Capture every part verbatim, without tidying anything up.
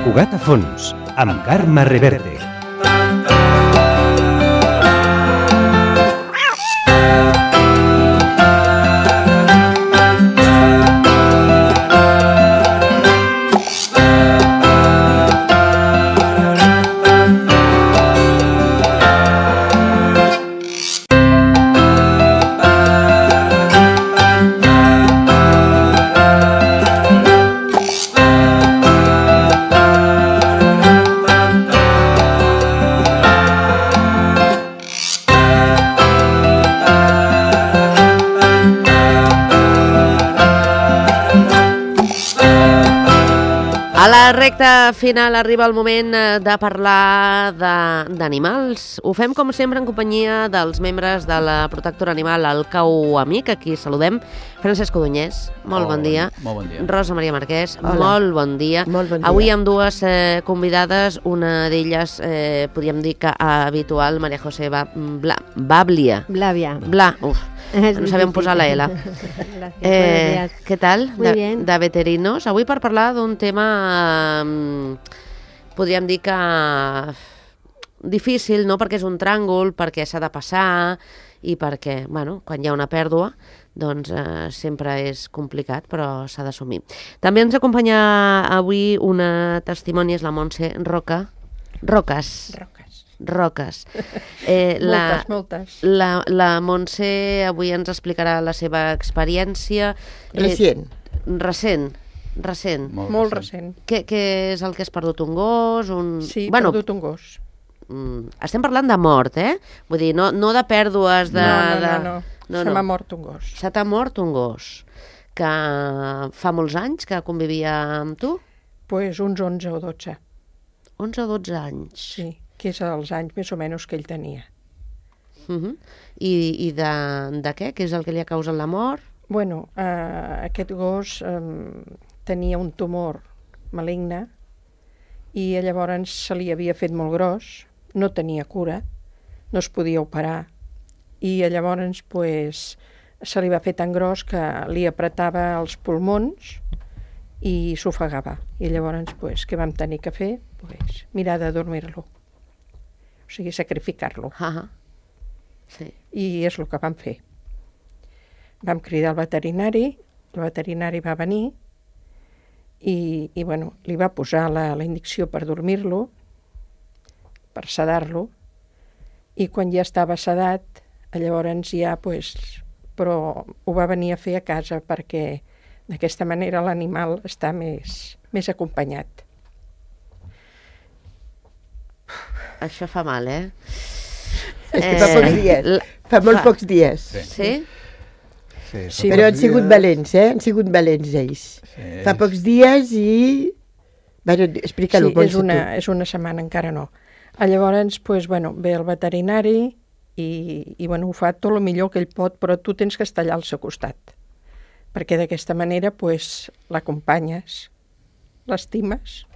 Cugat a fons, amb Carme Reverte. A la recta final arriba el moment de parlar d'animals. Ho fem, com sempre, en companyia dels membres de la protectora animal, el Cau Amic. Aquí saludem. Francesc Codonyès, molt bon dia. Molt bon dia. Rosa Maria Marquès, molt bon dia. Molt bon dia. Avui amb dues eh, convidades, una d'elles, eh, podríem dir que habitual, Maria José Ba- Bla- Bablia. Blavia. Bla, uf, no sabem posar la L. Gracias, Eh, buenos días. què tal? Muy de, bien. de veterinos. Avui per parlar d'un tema, eh, podríem dir que difícil, no? Perquè és un tràngol, perquè s'ha de passar i perquè, bueno, quan hi ha una pèrdua, doncs eh, sempre és complicat, però s'ha d'assumir. També ens acompanya avui una testimoni, és la Montse Roca. Roques. Roques. Roques. Eh, Moltes, moltes. La, la Montse avui ens explicarà la seva experiència. Recient. Eh, recent, recent. Molt recent. Què, què és el que has perdut? Un gos? Un... Sí, he bueno, perdut un gos. mm, estem parlant de mort, eh? Vull dir, no, no de pèrdues de... no, no, de... no, no. Se m'ha mort un gos. Se t'ha mort un gos que fa molts anys que convivia amb tu? Pues uns onze o dotze, onze o dotze anys. sí, que és els anys més o menys que ell tenia. Uh -huh. I, i de, de què? Què és el que li ha causat la mort? Bueno, eh, aquest gos eh, tenia un tumor maligne i llavors se li havia fet molt gros, no tenia cura, no es podia operar i llavors pues, se li va fer tan gros que li apretava els pulmons i s'ofegava. I llavors pues, què vam tenir que fer? Pues, mirar de dormir-lo, o sigui, sacrificar-lo. Ah, sí. I és el que vam fer. Vam cridar el veterinari, el veterinari va venir i, i bueno, li va posar la, la indicció per dormir-lo, per sedar-lo, i quan ja estava sedat, llavors ja, pues, però ho va venir a fer a casa perquè d'aquesta manera l'animal està més, més acompanyat. Això fa mal, eh? És que fa pocs dies, la- fa molt fa- pocs dies. Sí? Sí, Sí, Però han sigut valents, eh? Han sigut valents ells. Sí. Fa pocs dies i... Bueno, explica-lo, Sí, és Montse, una, tu. és una setmana, encara no. Llavors, pues, bueno, ve el veterinari i, i bueno, ho fa tot el millor que ell pot, però tu tens que estar allà al seu costat, perquè d'aquesta manera pues, l'acompanyes, l'estimes.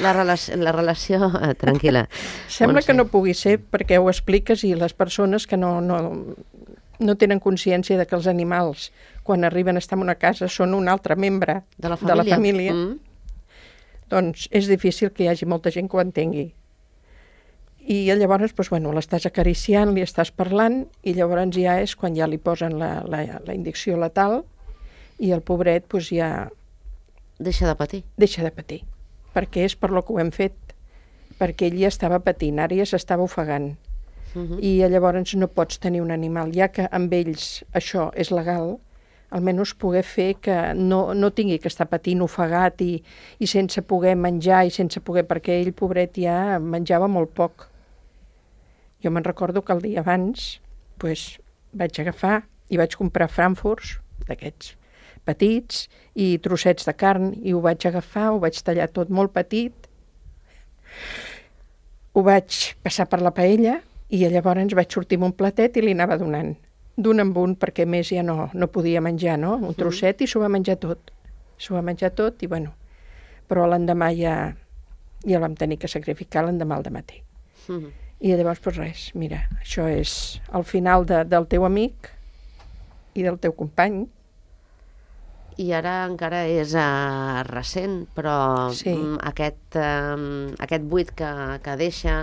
La, relació, la relació... Eh, tranquil·la. Sembla Montse. que no pugui ser perquè ho expliques i les persones que no, no, no tenen consciència de que els animals, quan arriben a estar en una casa, són un altre membre De la família. de la família Mm. doncs és difícil que hi hagi molta gent que ho entengui. I llavors, doncs, bueno, l'estàs acariciant, li estàs parlant, i llavors ja és quan ja li posen la, la, la indicció letal i el pobret doncs, ja Deixa de patir. deixa de patir, perquè és per lo que ho hem fet, perquè ell ja estava patint, ara ja s'estava ofegant. Uh -huh. I llavors no pots tenir un animal, ja que amb ells això és legal, almenys poder fer que no, no tingui que estar patint ofegat i, i sense poder menjar i sense poder, perquè ell, pobret, ja menjava molt poc. Jo me'n recordo que el dia abans pues, vaig agafar i vaig comprar frankfurts d'aquests petits i trossets de carn i ho vaig agafar, ho vaig tallar tot molt petit, ho vaig passar per la paella i llavors vaig sortir amb un platet i li anava donant. D'un en un, perquè més ja no, no podia menjar, no? Un trosset i s'ho va menjar tot. S'ho va menjar tot i, bueno, però l'endemà ja, ja el vam tenir que sacrificar l'endemà al dematí. Uh -huh. I llavors, doncs res, mira, això és el final de, del teu amic i del teu company. i ara encara és uh, recent, però Sí. mm, aquest, uh, aquest buit que, que deixa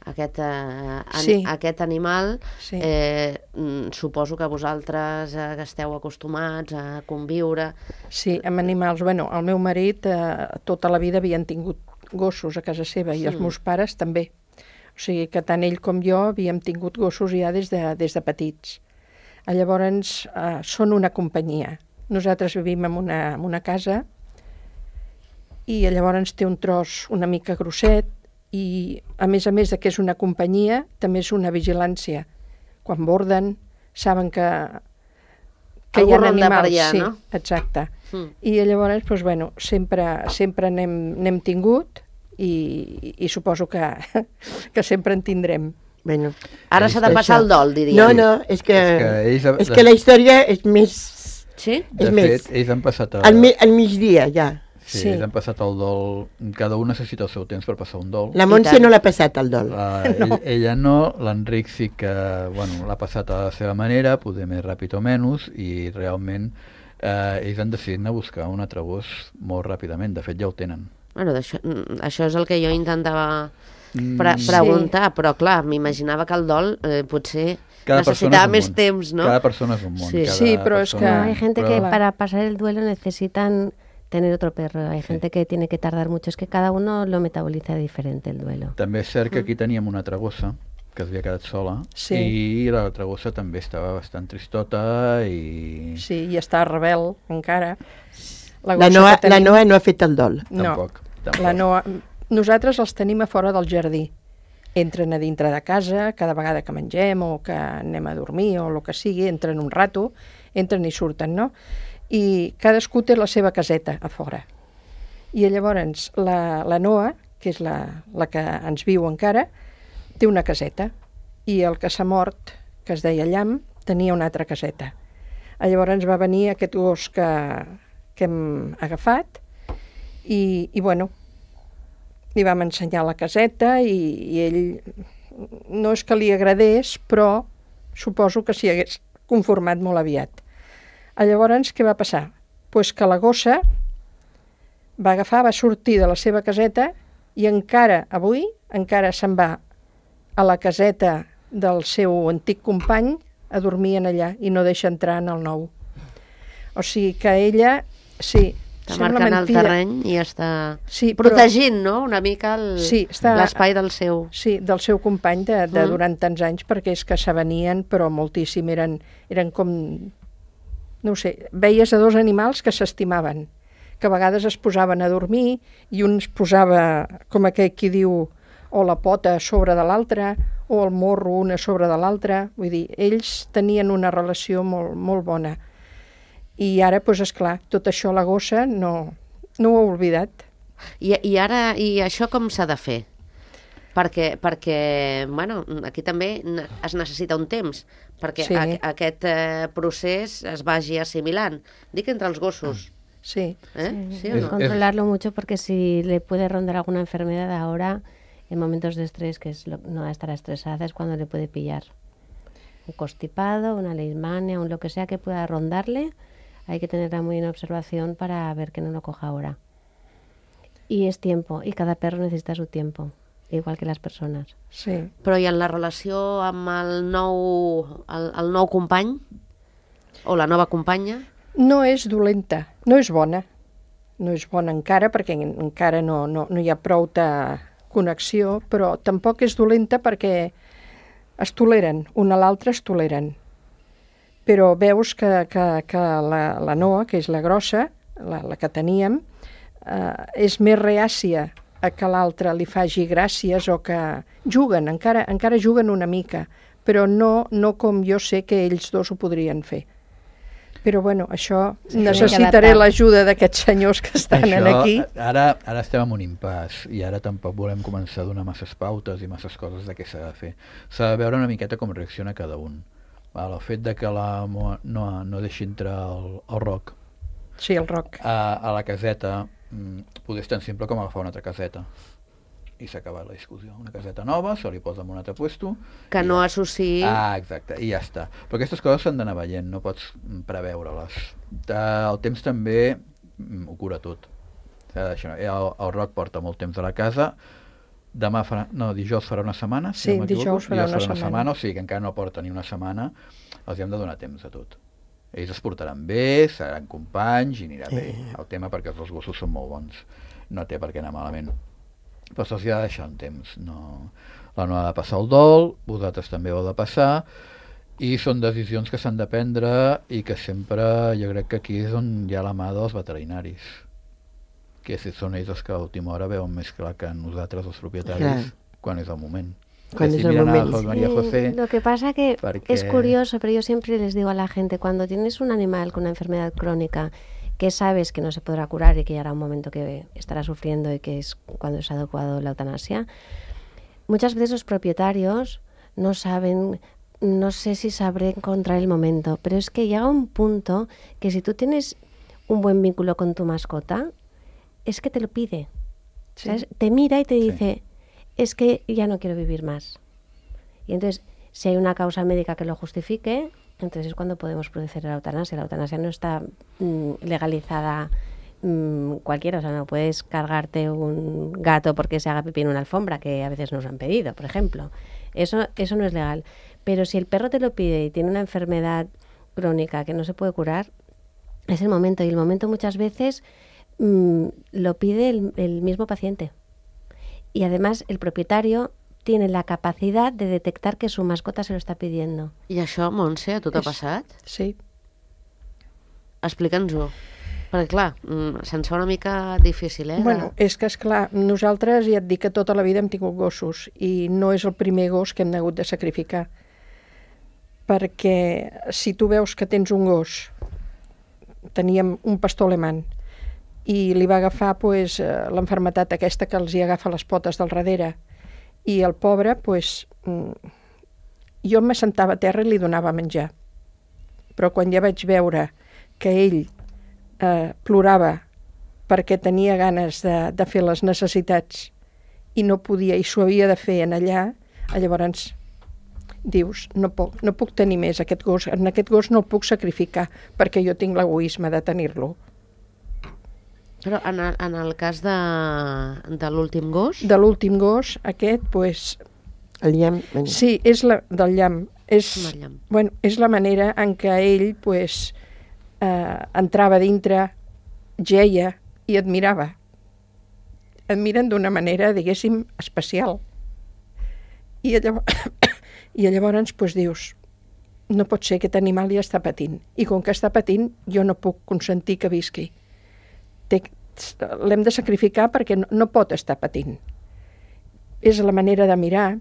aquest, uh, an Sí. aquest animal, Sí. eh, mm, suposo que vosaltres eh, que esteu acostumats a conviure. Sí, amb animals. Bueno, el meu marit eh, tota la vida havien tingut gossos a casa seva i els Mm. meus pares també. O sigui que tant ell com jo havíem tingut gossos ja des de, des de petits. Eh, Llavors, eh, són una companyia. Nosaltres vivim en una, en una casa i llavors té un tros una mica grosset i, a més a més de que és una companyia, també és una vigilància. Quan borden, saben que, que hi Algú ha ronda per animals. allà, sí, no? exacte. Mm. I llavors, doncs, bueno, sempre, sempre n'hem n'hem tingut i, i suposo que, que sempre en tindrem. Bueno, Ara s'ha de passar Això. el dol, diria. no, no, és que, És que ells- és que la història és més Sí? De és fet, més. ells han passat a... al, mi, al migdia, ja. Sí, Sí. ells han passat el dol... Cada un necessita el seu temps per passar un dol. La I Montse tant. no l'ha passat, el dol. La, ell, ella no, l'Enric sí que bueno, l'ha passat a la seva manera, poder més ràpid o menys, i realment eh, ells han decidit anar a buscar un altre gos molt ràpidament. De fet, ja ho tenen. Bueno, d'això- mm, això és el que jo intentava Mm, pre preguntar, però clar, m'imaginava que el dol eh, potser Cada persona necessitava és un més món. temps, no? Cada persona és un món. Sí. cada Sí, però és persona- que- No, hay gente però- que para pasar el duelo necesitan tener otro perro. Hay gente que tiene que tardar mucho. Es que cada uno lo metaboliza diferente el duelo. També és cert que aquí teníem una altra gossa que s'havia quedat sola, Sí. i l'altra gossa també estava bastant tristota i Sí, i està rebel encara. La gossa Noa, que la tenim- Noa no ha fet el dol. No, tampoc. tampoc. la Noa... Nosaltres els tenim a fora del jardí. Entren a dintre de casa, cada vegada que mengem o que anem a dormir o el que sigui, entren un rato, entren i surten, no? I cadascú té la seva caseta a fora. I llavors la, la Noa, que és la, la que ens viu encara, té una caseta. I el que s'ha mort, que es deia Llamp, tenia una altra caseta. Llavors va venir aquest gos que, que hem agafat i, i bueno, li vam ensenyar la caseta i, i ell no és que li agradés, però suposo que s'hi hagués conformat molt aviat. Llavors, què va passar? Pues que la gossa va agafar, va sortir de la seva caseta i encara avui, encara se'n va a la caseta del seu antic company a dormir en allà i no deixa entrar en el nou. O sigui que ella, sí, Està sembla marcant el mentida. terreny i està Sí, però- protegint, no?, una mica el- Sí, està- l'espai del seu... Sí, del seu company de, de Mm. durant tants anys, perquè és que s'avenien, però moltíssim, eren, eren com, no ho sé, veies a dos animals que s'estimaven, que a vegades es posaven a dormir i un es posava, com aquell qui diu, o la pota a sobre de l'altre, o el morro una a sobre de l'altre, vull dir, ells tenien una relació molt, molt bona. I ara, doncs, esclar, tot això la gossa no, no ho ha oblidat. I, i ara, i això com s'ha de fer? Perquè, perquè, bueno, aquí també ne- es necessita un temps perquè Sí. a, aquest eh, procés es vagi assimilant. Dic entre els gossos, Sí, eh? Sí, o Es- no? Controlarlo mucho porque si le puede rondar alguna enfermedad ahora, en momentos de estrés, que es lo- no estará estresada, es cuando le puede pillar un constipado, una leishmania, un lo que sea que pueda rondarle. Hay que tenerla muy en observación para ver que no lo coja ahora. Y es tiempo, y cada perro necesita su tiempo, igual que las personas. sí. Però i en la relació amb el nou, el, el nou company o la nova companya? No és dolenta, no és bona. No és bona encara, perquè en- encara no, no, no hi ha prou de connexió, però tampoc és dolenta perquè es toleren, una a l'altra es toleren. Però veus que, que, que la, la Noa, que és la grossa, la, la que teníem, eh, és més reàcia a que l'altra li faci gràcies o que juguen, encara, encara juguen una mica, però no, no com jo sé que ells dos ho podrien fer. Però bueno, això tiene que necessitaré adaptar. l'ajuda d'aquests senyors que estan Això, aquí. Ara, ara estem en un impàs i ara tampoc volem començar a donar masses pautes i masses coses de què s'ha de fer. S'ha de veure una miqueta com reacciona cada un. Val, el fet de que la Moa no, no deixi entrar el, el Roc Sí, el Roc. a, a la caseta mm, poder és tan simple com agafar una altra caseta. i s'ha acabat la discussió. Una caseta nova, se li posa en un altre puesto... Que i no ja. associï... Ah, exacte, i ja està. Però aquestes coses s'han d'anar veient, no pots preveure-les. El temps també ho cura tot. El, el Roc porta molt temps a la casa, demà farà, no, dijous farà una setmana, si sí, no dijous farà, dijous una, farà una setmana. setmana, o sigui que encara no porta ni una setmana, els hem de donar temps a tot. Ells es portaran bé, seran companys i anirà bé. El tema perquè els gossos són molt bons, no té per què anar malament. Però se'ls ha de deixar un temps. No... La no ha de passar el dol, vosaltres també heu de passar, i són decisions que s'han de prendre i que sempre, jo crec que aquí és on hi ha la mà dels veterinaris, que si són ells els que a l'última hora veuen més clar que nosaltres, els propietaris, clar. Quan és el moment. Cuando es el momento. Sí, lo que pasa que porque... es curioso, pero yo siempre les digo a la gente, cuando tienes un animal con una enfermedad crónica que sabes que no se podrá curar y que llegará un momento que estará sufriendo y que es cuando es adecuado la eutanasia, muchas veces los propietarios no saben, no sé si sabré encontrar el momento, pero es que llega un punto que si tú tienes un buen vínculo con tu mascota, es que te lo pide. Sí. ¿Sabes? Te mira y te dice... Sí. Es que ya no quiero vivir más. Y entonces, si hay una causa médica que lo justifique, entonces es cuando podemos proceder a la eutanasia. La eutanasia no está mmm, legalizada mmm, cualquiera, o sea, no puedes cargarte un gato porque se haga pipí en una alfombra, que a veces nos han pedido, por ejemplo. Eso, eso no es legal. Pero si el perro te lo pide y tiene una enfermedad crónica que no se puede curar, es el momento. Y el momento muchas veces mmm, lo pide el, el mismo paciente. Y además el propietario tiene la capacidad de detectar que su mascota se lo está pidiendo. I això, Montse, a tu t'ha passat? Sí. Explica'ns-ho. Perquè, clar, se'ns fa una mica difícil, eh? De... Bueno, és que, esclar, nosaltres ja et dic que tota la vida hem tingut gossos i no és el primer gos que hem hagut de sacrificar. Perquè si tu veus que tens un gos, teníem un pastor alemany, i li va agafar pues, l'enfermetat aquesta que els hi agafa les potes del darrere. I el pobre, pues, jo m'assentava a terra i li donava menjar. Però quan ja vaig veure que ell eh, plorava perquè tenia ganes de, de fer les necessitats i no podia, i s'ho havia de fer en allà, llavors dius, no puc, no puc tenir més aquest gos, en aquest gos no el puc sacrificar perquè jo tinc l'egoisme de tenir-lo. Però en el, en el cas de, de l'últim gos? De l'últim gos, aquest, pues... El llamp? Sí, és la, del llamp. És, llamp. Bueno, és la manera en què ell, pues, eh, entrava dintre, geia i et mirava. Et miren d'una manera, diguéssim, especial. I llavors, i llavors pues, dius, no pot ser, aquest animal ja està patint. I com que està patint, jo no puc consentir que visqui. L'hem de sacrificar perquè no, no pot estar patint. És la manera de mirar,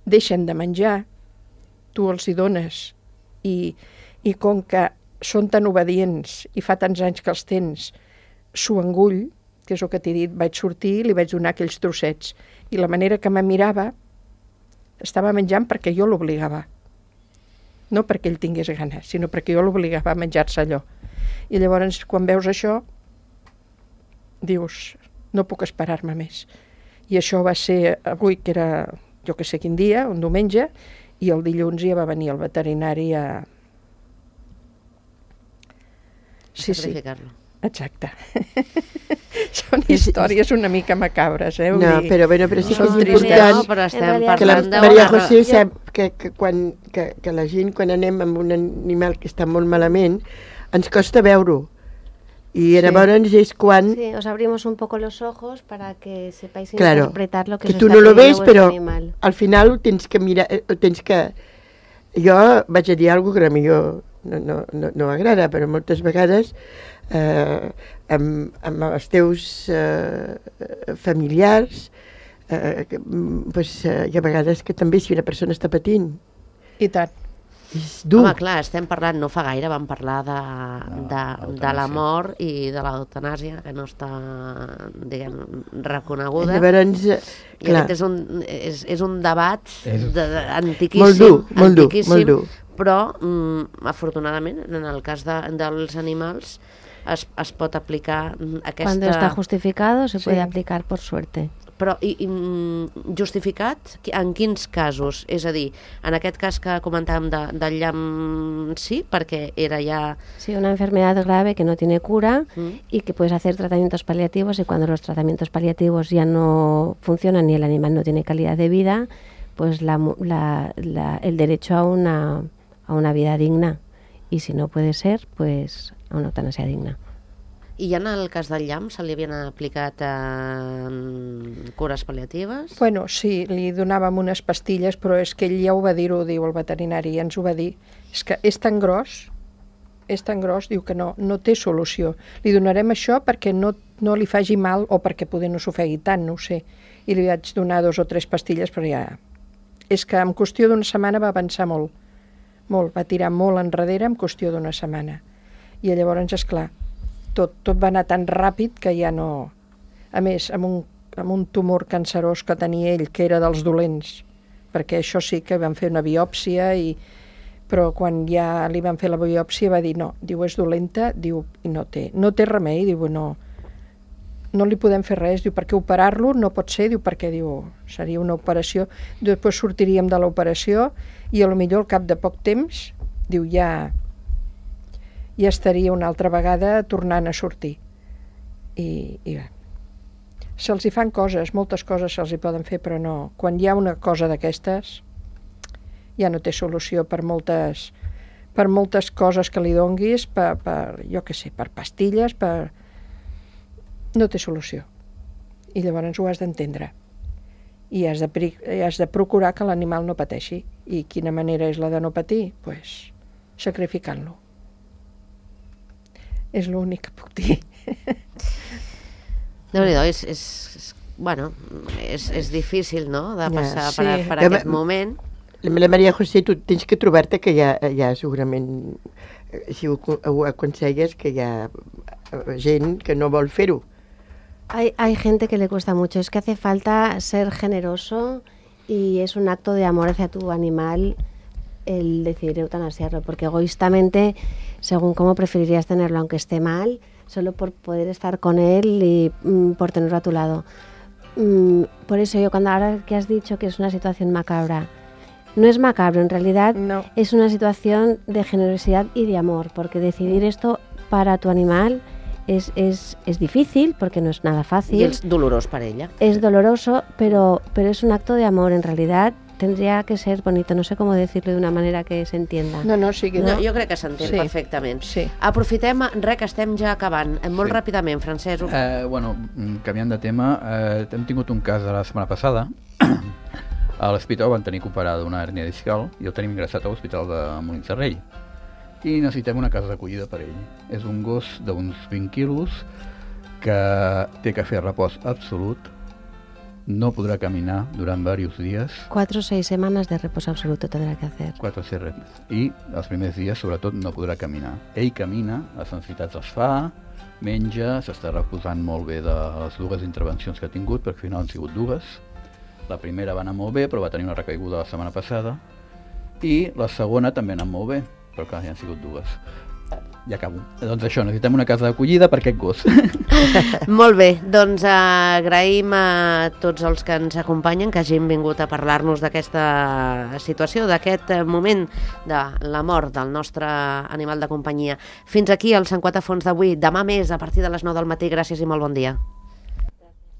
deixen de menjar, tu els hi dones, i, i com que són tan obedients i fa tants anys que els tens, s'ho engull, que és el que t'he dit, vaig sortir i li vaig donar aquells trossets. I la manera que me mirava, estava menjant perquè jo l'obligava. No perquè ell tingués gana, sinó perquè jo l'obligava a menjar-se allò. I llavors, quan veus això, dius, no puc esperar-me més. I això va ser avui, que era, jo que sé quin dia, un diumenge, i el dilluns ja va venir el veterinari a... Sí, sacrificar-lo. Sí, exacte. Són històries una mica macabres, eh? No, dir, però, bueno, però sí que és important no, però estem que la parlant Maria de... José sap que, que, quan, que, que la gent, quan anem amb un animal que està molt malament, ens costa veure-ho. Y sí. Llavors es cuando... Sí, os abrimos un poco los ojos para que sepáis claro, interpretar lo que, que os tú está no lo ves, pero animal. Al final tens que mirar, tens que... Jo vaig a dir alguna cosa que a mi jo no, no, no, no m'agrada, però moltes vegades eh, amb, amb els teus eh, familiars eh, pues, eh, hi ha vegades que també si una persona està patint. I tant. És dur. Home, clar, estem parlant, no fa gaire vam parlar de, no, de, de la mort i de l'eutanàsia, que no està, diguem, reconeguda. Llavors, I clar. Aquest és un, és, és un debat és... de, de, antiquíssim, molt dur, molt dur, antiquíssim, molt dur. Però, mm, afortunadament, en el cas de, dels animals, es, es pot aplicar aquesta... Cuando está justificado, se sí. puede aplicar por suerte. però i, i, justificat en quins casos? És a dir, en aquest cas que comentàvem de, del llamp, sí, perquè era ja... Sí, una enfermedad grave que no tiene cura Mm. y que puedes hacer tratamientos paliativos, y cuando los tratamientos paliativos ya no funcionan y el animal no tiene calidad de vida, pues la, mu- la- la- el derecho a una, a una vida digna. Y si no puede ser, pues a una eutanasia digna. I ja en el cas del llamp se li havien aplicat eh, cures pal·liatives? Bueno, sí, li donàvem unes pastilles, però és que ell ja ho va dir, ho diu el veterinari, ja ens ho va dir. És que és tan gros, és tan gros, diu que no, no té solució. Li donarem això perquè no, no li faci mal o perquè poder no s'ofegui tant, no ho sé. I li vaig donar dos o tres pastilles, però ja... És que en qüestió d'una setmana va avançar molt, molt, va tirar molt enrere en qüestió d'una setmana. I llavors, esclar, tot, tot va anar tan ràpid que ja no... A més, amb un, amb un tumor cancerós que tenia ell, que era dels dolents, perquè això sí que van fer una biòpsia, i... però quan ja li van fer la biòpsia va dir no, diu, és dolenta, diu, i no té, no té remei, diu, no, no li podem fer res, diu, perquè operar-lo no pot ser, diu, perquè, diu, seria una operació, després sortiríem de l'operació i a lo millor al cap de poc temps, diu, ja, ja estaria una altra vegada tornant a sortir. I, i bé, se'ls hi fan coses, moltes coses se'ls hi poden fer, però no, quan hi ha una cosa d'aquestes, ja no té solució per moltes, per moltes coses que li donguis, per, per jo què sé, per pastilles, per... no té solució. I llavors ho has d'entendre. I has de, pri- has de procurar que l'animal no pateixi. I quina manera és la de no patir? Doncs pues, sacrificant-lo. És l'únic que puc dir. Déu-n'hi-do, és, és, és, bueno, és, és difícil, no?, de Ja, passar sí. per, per Ja, aquest ma- moment. La Maria José, tu tens que trobar-te que hi ha, hi ha segurament, eh, si ho, ho aconselles, que hi ha eh, gent que no vol fer-ho. Hay, hay gente que le cuesta mucho. Es que hace falta ser generoso y es un acto de amor hacia tu animal el decidir eutanasiarlo, porque egoístamente, según cómo preferirías tenerlo, aunque esté mal, solo por poder estar con él y mm, por tenerlo a tu lado. Mm, por eso yo, cuando ahora que has dicho que es una situación macabra, no es macabro, en realidad No. es una situación de generosidad y de amor, porque decidir esto para tu animal es, es, es difícil, porque no es nada fácil. I és dolorós per ella. Es doloroso, pero, pero es un acto de amor. En realidad tendría que ser bonito. No sé cómo decirlo de una manera que se entienda. No, no, sí que No, no. jo crec que s'entén Sí. perfectament. Sí. Aprofitem, res, que estem ja acabant. Eh, Molt Sí. ràpidament, Francesc. Eh, bueno, mm, canviant de tema, eh, hem tingut un cas de la setmana passada. A l'hospital van tenir que operar d'una hèrnia discal i el tenim ingressat a l'hospital de Molins de Rei. I necessitem una casa d'acollida per ell. És un gos d'uns vint quilos que té que fer repòs absolut, no podrà caminar durant diversos dies, Cuatro o seis semanas de reposo absoluto tendrá que hacer. quatre C R i els primers dies sobretot no podrà caminar. Ell camina, les necessitats les fa, menja, s'està reposant molt bé de les dues intervencions que ha tingut, perquè al final han sigut dues. La primera va anar molt bé, però va tenir una recaiguda la setmana passada, i la segona també ha anat molt bé, però clar, ja han sigut dues. Ja acabo. Doncs això, necessitem una casa d'acollida per aquest gos. Molt bé, doncs eh, agraïm a tots els que ens acompanyen que hagin vingut a parlar-nos d'aquesta situació, d'aquest eh, moment de la mort del nostre animal de companyia. Fins aquí el Sant Quatre Fons d'avui. Demà més, a partir de les nou del matí. Gràcies i molt bon dia.